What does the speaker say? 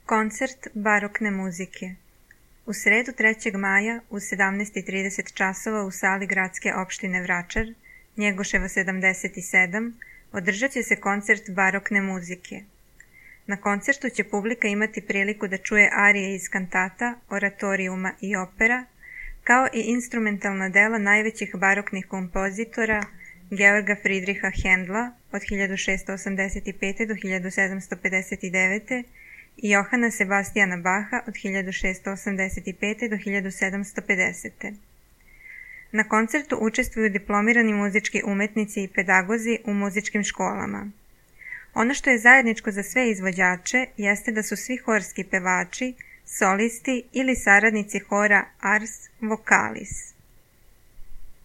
Koncert barokne muzike. U sredu 3. maja u 17:30 časova u sali Gradske opštine Vračar, Njegoševa 77, održat će se koncert barokne muzike. Na koncertu će publika imati priliku da čuje arije iz kantata, oratorijuma i opera, kao i instrumentalna dela najvećih baroknih kompozitora Georga Fridriha Hendla od 1685. do 1759. i Johana Sebastijana Baha od 1685. do 1750. Na koncertu učestvuju diplomirani muzički umetnici i pedagozi u muzičkim školama. Ono što je zajedničko za sve izvođače jeste da su svi horski pevači, solisti ili saradnici hora Ars Vocalis.